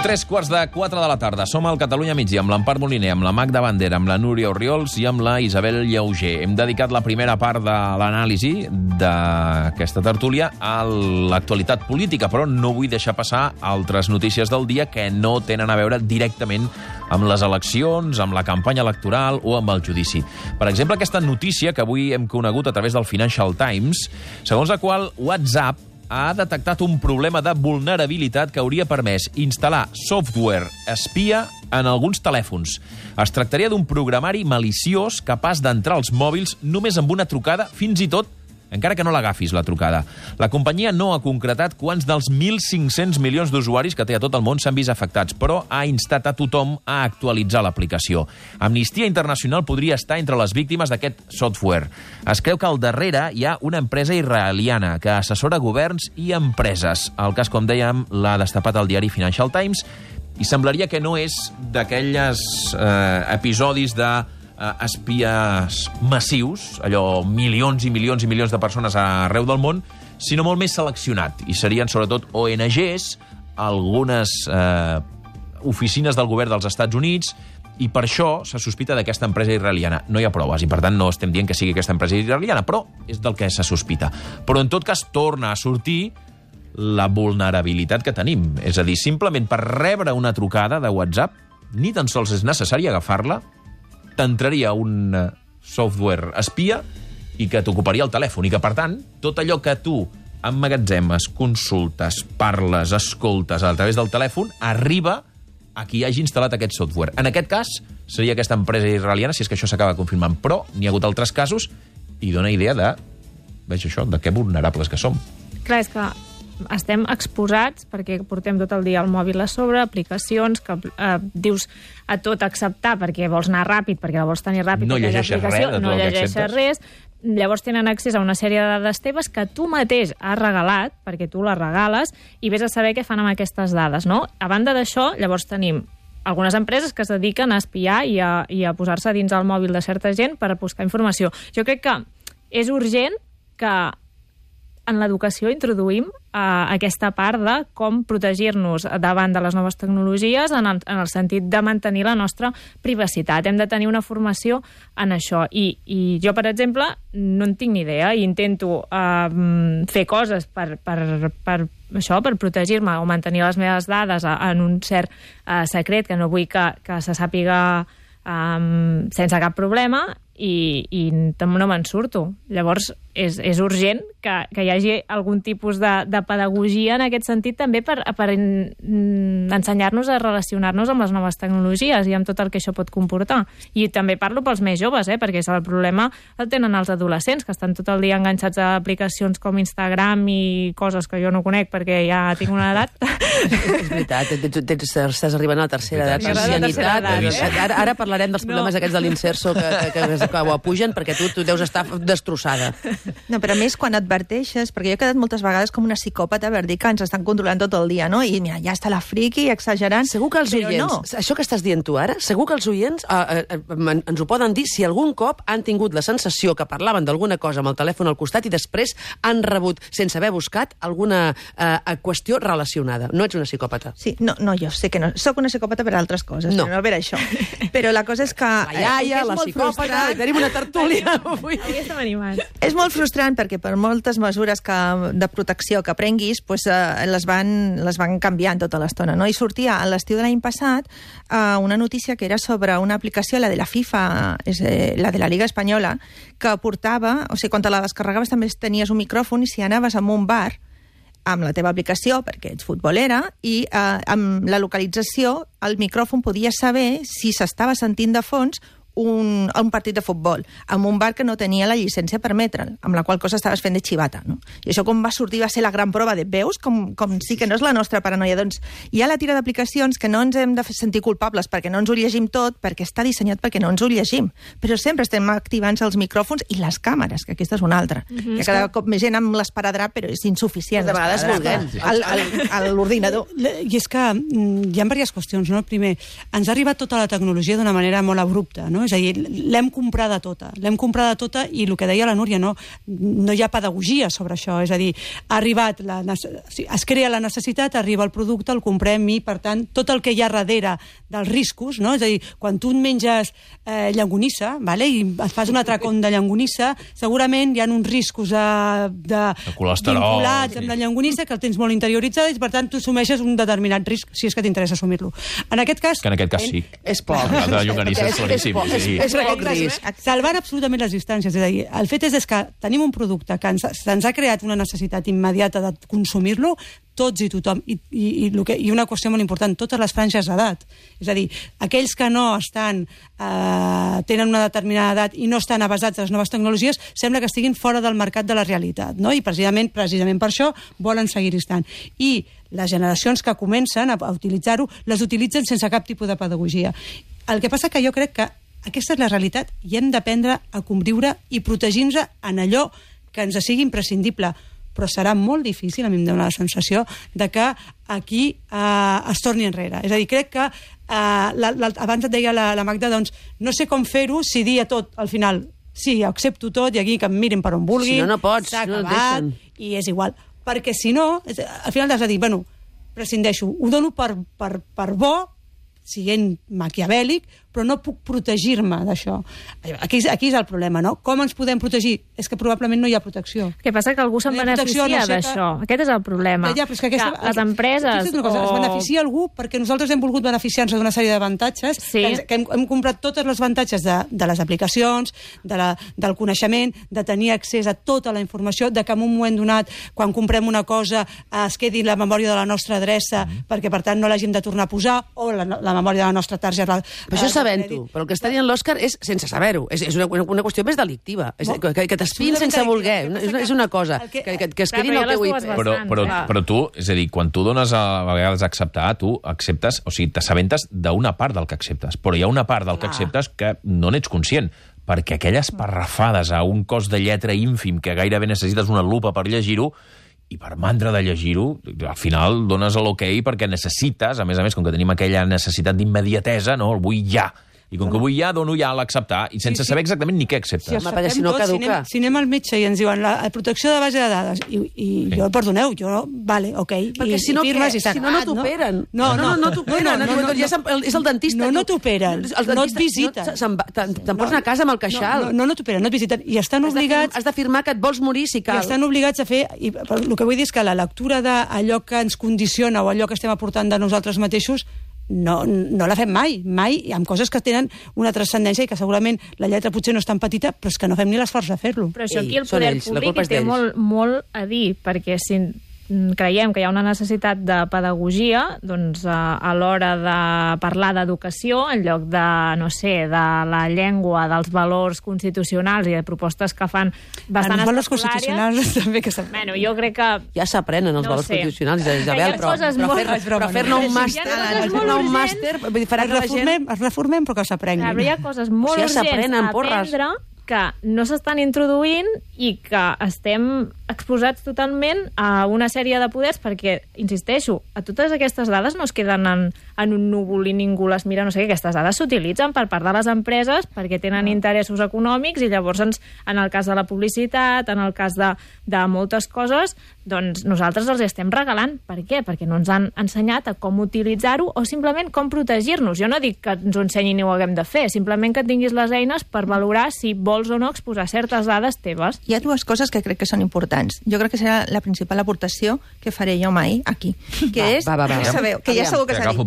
3:45 de la tarda. Som al Catalunya Migdia amb l'Empar Moliner, amb la Magda Bandera, amb la Núria Orriols i amb la Isabel Llauger. Hem dedicat la primera part de l'anàlisi d'aquesta tertúlia a l'actualitat política, però no vull deixar passar altres notícies del dia que no tenen a veure directament amb les eleccions, amb la campanya electoral o amb el judici. Per exemple, aquesta notícia que avui hem conegut a través del Financial Times, segons la qual WhatsApp ha detectat un problema de vulnerabilitat que hauria permès instal·lar software espia en alguns telèfons. Es tractaria d'un programari maliciós capaç d'entrar als mòbils només amb una trucada, fins i tot encara que no l'agafis, la trucada. La companyia no ha concretat quants dels 1.500 milions d'usuaris que té a tot el món s'han vist afectats, però ha instat a tothom a actualitzar l'aplicació. Amnistia Internacional podria estar entre les víctimes d'aquest software. Es creu que al darrere hi ha una empresa israeliana que assessora governs i empreses. El cas, com dèiem, l'ha destapat el diari Financial Times i semblaria que no és d'aquelles episodis de espies massius, allò milions i milions i milions de persones arreu del món, sinó molt més seleccionat. I serien sobretot ONGs, algunes oficines del govern dels Estats Units, i per això se sospita d'aquesta empresa israeliana. No hi ha proves i, per tant, no estem dient que sigui aquesta empresa israeliana, però és del que se sospita. Però, en tot cas, torna a sortir la vulnerabilitat que tenim. És a dir, simplement per rebre una trucada de WhatsApp, ni tan sols és necessari agafar-la, t'entraria un software espia i que t'ocuparia el telèfon i que, per tant, tot allò que tu emmagatzemes, consultes, parles, escoltes a través del telèfon, arriba a qui hagi instal·lat aquest software. En aquest cas, seria aquesta empresa israeliana, si és que això s'acaba confirmant. Però n'hi ha hagut altres casos i dona idea de, veig això, de que vulnerables que som. Clar, és que estem exposats perquè portem tot el dia el mòbil a sobre, aplicacions que dius a tot acceptar perquè vols anar ràpid, perquè la vols tenir ràpid, no llegeixes res, no llegeixes res, llavors tenen accés a una sèrie de dades teves que tu mateix has regalat, perquè tu les regales, i vés a saber què fan amb aquestes dades, no? A banda d'això, llavors tenim algunes empreses que es dediquen a espiar i a posar-se dins el mòbil de certa gent per buscar informació. Jo crec que és urgent que en l'educació introduïm aquesta part de com protegir-nos davant de les noves tecnologies en el sentit de mantenir la nostra privacitat. Hem de tenir una formació en això. I jo, per exemple, no en tinc ni idea i intento fer coses per protegir-me o mantenir les meves dades en un cert secret que no vull que se sàpiga sense cap problema i no me'n surto. Llavors, és urgent que hi hagi algun tipus de pedagogia en aquest sentit també per ensenyar-nos a relacionar-nos amb les noves tecnologies i amb tot el que això pot comportar. I també parlo pels més joves, perquè el problema el tenen els adolescents, que estan tot el dia enganxats a aplicacions com Instagram i coses que jo no conec perquè ja tinc una edat. És veritat, estàs arribant a la tercera edat, l'ancianitat. Ara parlarem dels problemes aquests de l'inserso que ho apugen perquè tu deus estar destrossada. No, però a més, quan adverteixes, perquè jo he quedat moltes vegades com una psicòpata per dir que ens estan controlant tot el dia, no? I mira, ja està la friqui exagerant. Segur que els oients, això que estàs dient tu ara, segur que els oients ens ho poden dir si algun cop han tingut la sensació que parlaven d'alguna cosa amb el telèfon al costat i després han rebut, sense haver buscat, alguna qüestió relacionada. No ets una psicòpata. Sí, no, jo sé que no. Soc una psicòpata per altres coses, no. Però no per això. Però la cosa és que... La iaia, la psicòpata, tenim una tertúlia avui. Avui estem animats. És molt frustrant perquè per moltes mesures de protecció que prenguis les van canviant tota l'estona, no? I sortia a l'estiu de l'any passat una notícia que era sobre una aplicació, la de la FIFA, la de la Liga Espanyola, que portava, o sigui, quan te la descarregaves també tenies un micròfon i si anaves a un bar amb la teva aplicació, perquè ets futbolera, i amb la localització el micròfon podia saber si s'estava sentint de fons un partit de futbol, amb un bar que no tenia la llicència per emetre'l, amb la qual cosa estaves fent de xivata, no? I això com va sortir va ser la gran prova de veus, com sí que no és la nostra paranoia. Doncs hi ha la tira d'aplicacions que no ens hem de sentir culpables perquè no ens ho llegim tot, perquè està dissenyat perquè no ens ho llegim. Però sempre estem activant els micròfons i les càmeres, que aquesta és una altra. Que cada cop més gent amb l'esparadrap, però és insuficient. De vegades volguem. A l'ordinador. I és que hi ha diverses qüestions, no? Primer, ens ha arribat tota la tecnologia d'una manera molt abrupta, no? no? És a dir, l'hem comprada tota i el que deia la Núria, no hi ha pedagogia sobre això, és a dir, es crea la necessitat, arriba el producte, el comprem i, per tant, tot el que hi ha darrere dels riscos, no? És a dir, quan tu menges llangonissa, i et fas un atracón de llangonissa, segurament hi ha uns riscos de vinculats amb la llangonissa que el tens molt interioritzada i, per tant, tu assumeixes un determinat risc, si és que t'interessa assumir-lo. En aquest cas... Que en aquest cas sí. És poc. La llonganissa és claríssim. És poc risc. Salvant absolutament les distàncies. És a dir, el fet és que tenim un producte que ens ha creat una necessitat immediata de consumir-lo, tots i tothom, i una qüestió molt important, totes les franges d'edat. És a dir, aquells que no tenen una determinada edat i no estan avasats a les noves tecnologies, sembla que estiguin fora del mercat de la realitat, no? I precisament per això volen seguir estant. I les generacions que comencen a utilitzar-ho, les utilitzen sense cap tipus de pedagogia. El que passa que jo crec que aquesta és la realitat i hem d'aprendre a conviure i protegir-nos en allò que ens sigui imprescindible. Però serà molt difícil, a mi em dóna la sensació, de que aquí es torni enrere. És a dir, crec que abans et deia la Magda, doncs no sé com fer-ho si dir a tot al final sí, accepto tot i aquí que em mirin per on vulguin, si no pots, s'ha acabat i és igual. Perquè si no, al final has de dir, bueno, prescindeixo, ho dono per bo, siguent maquiavèlic, però no puc protegir-me d'això. Aquí és el problema, no? Com ens podem protegir? És que probablement no hi ha protecció. El que passa que algú se'n beneficia d'això. Aquest és el problema. Ja, però és que les empreses... Es beneficia algú perquè nosaltres hem volgut beneficiar-nos d'una sèrie d'avantatges, que hem comprat tots els avantatges de les aplicacions, del coneixement, de tenir accés a tota la informació, de que en un moment donat, quan comprem una cosa, es quedi la memòria de la nostra adreça, perquè per tant no l'hàgim de tornar a posar, o la memòria de la nostra targeta. Però això sabent-ho, però el que està dient l'Òscar és sense saber-ho, és una qüestió més delictiva, que t'espin sense voler, és una cosa, que es quedin al teu IP. Però tu, és a dir, quan tu dones a vegades a acceptar, tu acceptes, o sigui, t'assabentes d'una part del que acceptes, però hi ha una part del que acceptes que no n'ets conscient, perquè aquelles parrafades a un cos de lletra ínfim que gairebé necessites una lupa per llegir-ho, i per mandra de llegir-ho, al final dones l'ok perquè necessites, a més, com que tenim aquella necessitat d'immediatesa, no? El vull ja. I com que vull ja, dono ja a l'acceptar, i sense saber exactament ni què acceptes. Si no caduca. Si anem al metge i ens diuen la protecció de base de dades, i jo, perdoneu, vale, ok. Perquè si no t'operen. No t'operen. És el dentista. No t'operen. No et visiten. Te'n pots anar a casa amb el queixal. No t'operen, no et visiten. I estan obligats... Has d'afirmar que et vols morir si cal. I estan obligats a fer... El que vull dir és que la lectura d'allò que ens condiciona o allò que estem aportant de nosaltres mateixos no la fem mai, i amb coses que tenen una transcendència i que segurament la lletra potser no és tan petita, però és que no fem ni l'esforç de fer-lo. Però això aquí el poder públic té molt a dir, perquè si creiem que hi ha una necessitat de pedagogia, doncs a l'hora de parlar d'educació, en lloc de, no sé, de la llengua, dels valors constitucionals i de propostes que fan bastant els valors constitucionals també que s'aprenen. Bueno, jo crec que... Ja s'aprenen els valors constitucionals, Isabel, però fer-ne un màster... Es reformem, però que s'aprenguin. Hi ha coses molt urgents a aprendre que no s'estan introduint i que estem exposats totalment a una sèrie de poders perquè, insisteixo, a totes aquestes dades no es queden en un núvol i ningú les mira, no sé què, aquestes dades s'utilitzen per part de les empreses perquè tenen interessos econòmics i llavors en el cas de la publicitat, en el cas de moltes coses, doncs nosaltres els estem regalant. Per què? Perquè no ens han ensenyat a com utilitzar-ho o simplement com protegir-nos. Jo no dic que ens ho ensenyin i ho haguem de fer, simplement que tinguis les eines per valorar si vols o no exposar certes dades teves. Hi ha dues coses que crec que són importants. Jo crec que serà la principal aportació que faré jo mai aquí, que és... Ja sabeu, que ja segur que s'ha dit.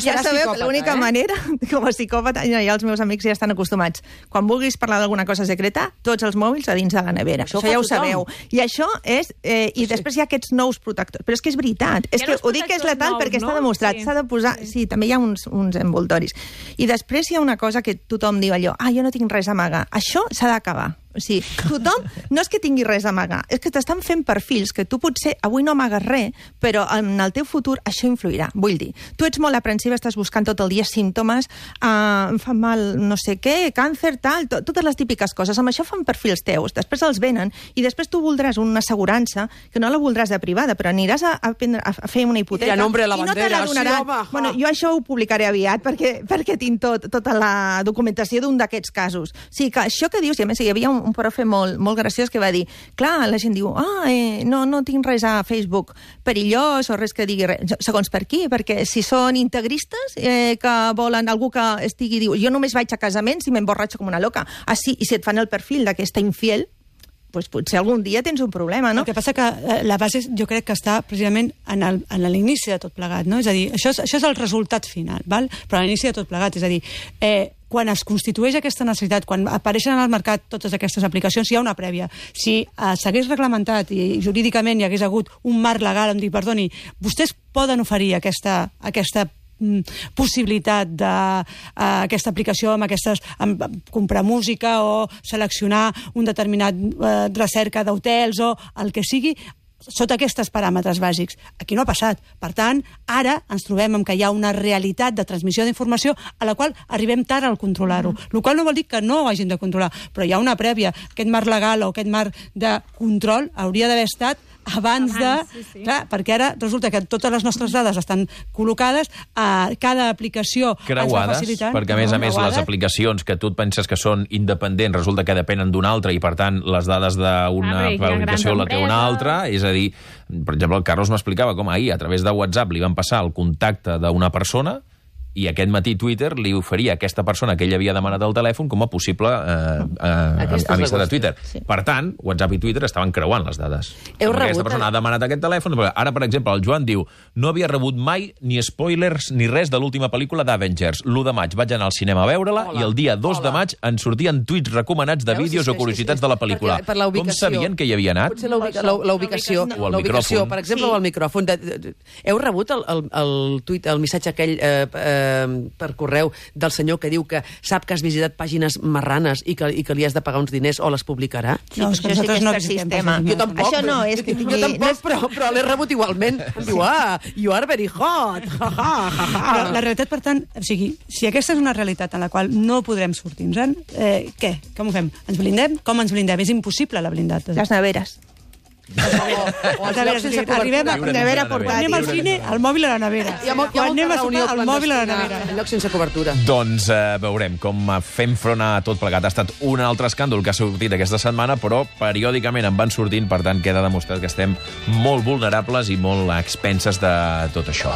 Ja sabeu que l'única manera, com a psicòpata, ja els meus amics ja estan acostumats. Quan vulguis parlar d'alguna cosa secreta, tots els mòbils a dins de la nevera. Això ja ho sabeu. I això és... I després hi ha aquests nous protectors. Però és que és veritat. És que ho dic que és letal perquè està demostrat. S'ha de posar... Sí, també hi ha uns envoltoris. I després hi ha una cosa que tothom diu allò, jo no tinc res a amagar. Això s'ha d'acabar. Sí, tothom no és que tingui res a amagar, és que t'estan fent perfils que tu potser avui no amagues res, però en el teu futur això influirà. Vull dir, tu ets molt aprensiva, estàs buscant tot el dia símptomes, em fa mal no sé què, càncer, tal, totes les típiques coses. Amb això fan perfils teus, després els venen i després tu voldràs una assegurança que no la voldràs de privada, però aniràs a fer una hipoteca i a nombre de la i no te bandera, la donaran. sí, home. Bueno, jo això ho publicaré aviat perquè tinc tota la documentació d'un d'aquests casos. O sigui, que això que dius, i a més hi havia un profe molt graciós que va dir, clar, la gent diu, no tinc res a Facebook perillós o res que digui res. Segons per qui? Perquè si són integristes que volen algú que diu, jo només vaig a casaments i m'emborratxo com una loca. Ah, sí, i si et fan el perfil d'aquesta infiel, doncs potser algun dia tens un problema, no? El que passa que la base jo crec que està precisament en l'inici de tot plegat, no? És a dir, això és el resultat final, val? Però a l'inici de tot plegat, és a dir, quan es constitueix aquesta necessitat, quan apareixen al mercat totes aquestes aplicacions, hi ha una prèvia. Si s'hagués reglamentat i jurídicament hi hagués hagut un marc legal on dir, perdoni, vostès poden oferir aquesta possibilitat d'aquesta aplicació amb comprar música o seleccionar un determinat recerca d'hotels o el que sigui, sota aquests paràmetres bàsics. Aquí no ha passat. Per tant, ara ens trobem amb que hi ha una realitat de transmissió d'informació a la qual arribem tard al controlar-ho. El qual no vol dir que no ho hagin de controlar, però hi ha una prèvia. Aquest marc legal o aquest marc de control hauria d'haver estat abans de... Sí. Clar, perquè ara resulta que totes les nostres dades estan col·locades a cada aplicació creuades, perquè a més les aplicacions que tu et penses que són independents resulta que depenen d'una altra i per tant les dades d'una aplicació la té una altra, és a dir, per exemple el Carlos m'explicava com ahir a través de WhatsApp li van passar el contacte d'una persona i aquest matí Twitter li oferia a aquesta persona que ell havia demanat el telèfon com a possible amistat de Twitter. Sí. Per tant, WhatsApp i Twitter estaven creuant les dades. Aquesta persona ha demanat aquest telèfon. Ara, per exemple, el Joan diu no havia rebut mai ni spoilers ni res de l'última pel·lícula d'Avengers. L'1 de maig vaig anar al cinema a veure-la i el dia 2 de maig ens sortien tuits recomanats de vídeos o curiositats de la pel·lícula. Com sabien que hi havia anat? Potser la ubicació, per exemple, o el micròfon. Heu rebut el missatge aquell per correu del senyor que diu que sap que has visitat pàgines marranes i que li has de pagar uns diners o les publicarà? No, és que nosaltres no visitem pàgines. Jo tampoc. Això no és que tingui... Jo tampoc, però l'he rebut igualment. Em diu, you are very hot. Però la realitat, per tant, o sigui, si aquesta és una realitat en la qual no podrem sortir-nos-en, què? Com ho fem? Ens blindem? Com ens blindem? És impossible la blindat. Les neveres. Arribem a nevera portàtil. Anem al cine, al mòbil a la nevera. Quan anem a sopar, al mòbil a la nevera. En lloc sense cobertura. Doncs veurem com fem front a tot plegat. Ha estat un altre escàndol que ha sortit aquesta setmana, però periòdicament en van sortint, per tant queda demostrat que estem molt vulnerables i molt a expenses de tot això.